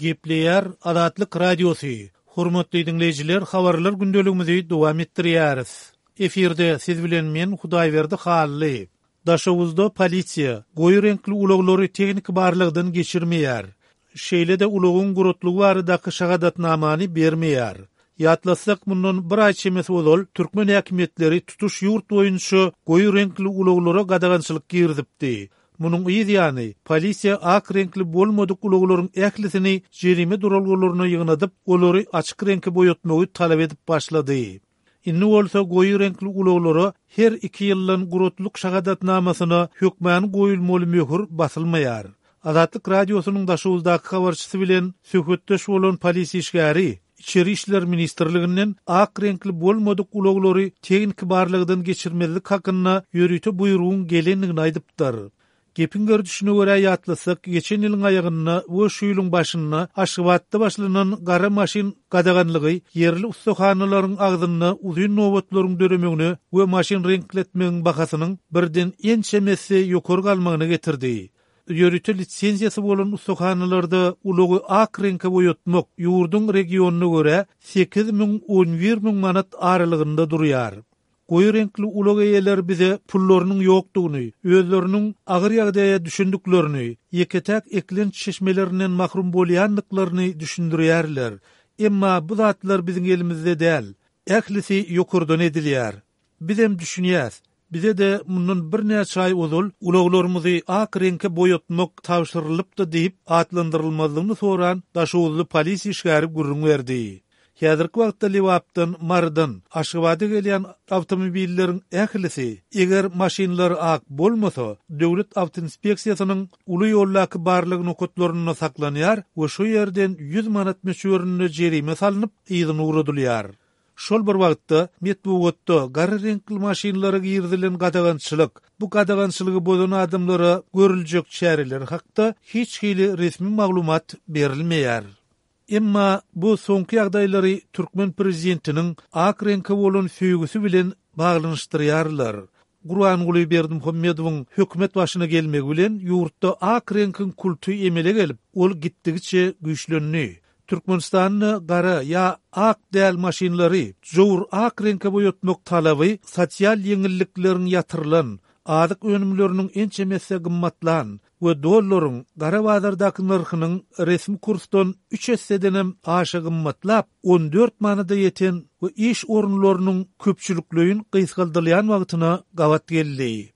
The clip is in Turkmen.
Gepleýär Azatlyk Radiosy, Hormatly diňleýjiler habarlar gündeligimizi dowam etdirýäris. Efirde siz bilen men Hudaýberdi Hally. Daşoguzda polisiýa goýy reňkli ulaglary tehniki barlagdan geçirmeýär. Şeýle-de ulagyň guratlygy baradaky şahadatnamany bermeýär. Ýatlatsak, mundan bir aý çemesi ozal türkmen häkimiýetleri tutuş ýurt boýunça goýy reňkli ulaglara gadagançylyk girizipdi. Munuň yz ýany, polisiýa ak reňkli bolmadyk ulaglaryň ählisini jerime duralgalaryna ýygnadyp, olary açyk reňke boýatmagy talap edip başlady. Indi bolsa goýy reňkli ulaglara her iki ýyldan guratlyk şahadatnamasyna hökmany goýulmaly möhür basylmaýar. Azatlyk Radiosynyň Daşoguzdaky habarçysy bilen söhbetdeş bolan polisiýa işgäri Içeri işler ministrliginden ak reňkli bolmadyk ulaglary tehniki barlagdan geçirmezlik hakynda ýörite buýrugyň gelendigini aýdypdyr. Gepiň gerdişine görä ýatlasak, geçen ýylyň aýagynda we şu ýylyň başynda Aşgabatda başlanan gara maşyn gadaganlygy ýerli ussahanalaryň agzynda uzyn nobatlaryň döremegine we maşyn reňkletmegiň bahasynyň birden ençeme esse ýokary galmagyna getirdi. Ýörite lisenziýasy bolan ussahanalarda ulagy ak reňke boýatmak ýurduň regionyna görä 8000, 11000 manat aralygynda durýar. Goýy reňkli ulag eýeleri bize pullarynyň ýokdugyny, özleriniň agyr ýagdaýa düşendiklerini, ýeke-täk eklenç çeşmelerinden mahrum bolýandyklaryny düşündirýärler. Emma bu zatlar biziň elimizde däl. Ählisi ýokardan edilýär. Bizem düşünýäs. Bize-de mundan birnäçe aý ozal ulaglarymyzy ak reňke boýatmak tabşyrylypdy diýip, atlandyrylmazlygyny soran daşoguzly polisiýa işgäri gürrüň berdi. Häzirki wagtda Lebapdan, Marydan Aşgabada gelýän awtomobilleriň ählisi, eger maşynlary ak bolmasa, Döwlet awtoinspeksiýasynyň uly ýoldaky barlag nokatlarynda saklanýar we şo ýerden 100 manat möçberinde jerime salnyp, yzyna ugradylýar. Şol bir wagtda, metbugatda gara reňkli maşynlara girizilen gadagançylyk, bu gadagançylygy bozan adamlara görüljek çäreler hakda hiç hili resmi maglumat berilmeýär. Emma bu soňky ýagdaýlary türkmen prezidentiniň ak reňke bolan söýgüsi bilen baglanyşdyrýarlar. Gurbanguly Berdimuhamedowyň hökümet başyna gelmegi bilen ýurtda ak reňkiň kulty emele gelip, ol gitdigiçe güýçlendi. Türkmenistanda gara ýa ak däl maşynlary jowur ak reňke boýatmak talaby sosial ýeňillikleriň ýatyrylan, azyk önümleriniň ençeme esse gymmatlan we dollaryň gara bazardaky nyrhynyň resmi kursdan üç essedenem aşa gymmatlap, 14 manada ýeten we iş orunlarynyň köpçülikleýin gysgaldylýan wagtyna gabat geldi.